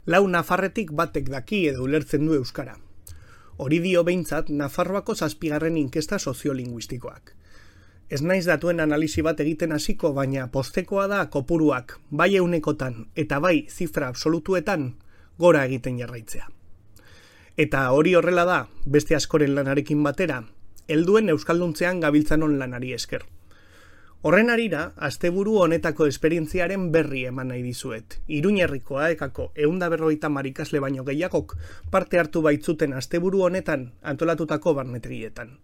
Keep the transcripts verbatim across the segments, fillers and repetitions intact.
Lau nafarretik batek daki edo ulertzen du euskara. Hori dio behintzat Nafarroako zazpigarren inkesta soziolinguistikoak. Ez naiz datuen analisi bat egiten hasiko, baina postekoa da kopuruak bai eunekotan eta bai zifra absolutuetan gora egiten jarraitzea. Eta hori horrela da, beste askoren lanarekin batera, helduen euskalduntzean gabiltzanon lanari esker. Horren arira, asteburu honetako esperientziaren berri eman nahi dizuet. Iruñerriko aekako ehun eta berrogeita hamar ikasle baino gehiagok parte hartu baitzuten asteburu honetan antolatutako barnetegietan.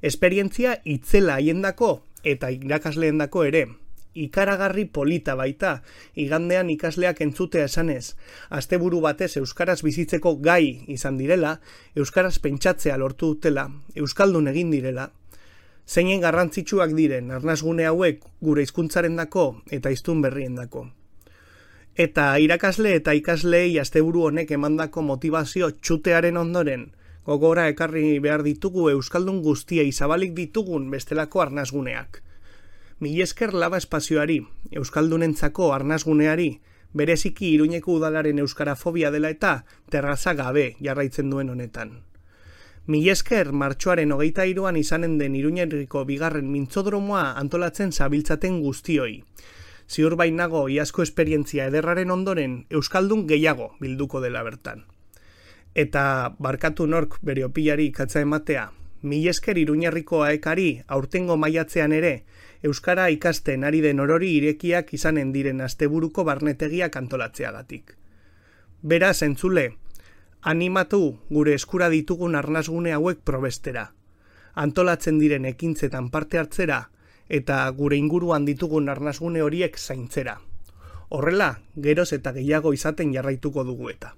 Esperientzia itzela haiendako eta irakasleendako ere. Ikaragarri polita baita, igandean ikasleak entzutea esanez, asteburu batez euskaraz bizitzeko gai izan direla, euskaraz pentsatzea lortu dutela, euskaldun egin direla, zeinen garrantzitsuak diren arnasgune hauek gure hizkuntzarendako eta hiztun berriendako. Eta irakasle eta ikaslei asteburu honek emandako motivazio txutearen ondoren, gogora ekarri behar ditugu euskaldun guztiei zabalik ditugun bestelako arnasguneak. Mil esker Laba espazioari, euskaldunentzako arnasguneari, bereziki Iruñeko udalaren euskarafobia dela eta terraza gabe jarraitzen duen honetan. Mil esker martxoaren hogeita hiruan izanen den Iruñerriko bigarren mintzodromoa antolatzen zabiltzaten guztioi. Ziur bainago iazko esperientzia ederraren ondoren euskaldun gehiago bilduko dela bertan. Eta barkatu nork bere opilari ikatza ematea, mil esker Iruñerriko aekari aurtengo maiatzean ere euskara ikasten ari den orori irekiak izanen diren asteburuko barnetegiak antolatzeagatik. Beraz, entzule, animatu gure eskura ditugun arnasgune hauek probestera, antolatzen diren ekintzetan parte hartzera eta gure inguruan ditugun arnasgune horiek zaintzera. Horrela, geroz eta gehiago izaten jarraituko dugu eta.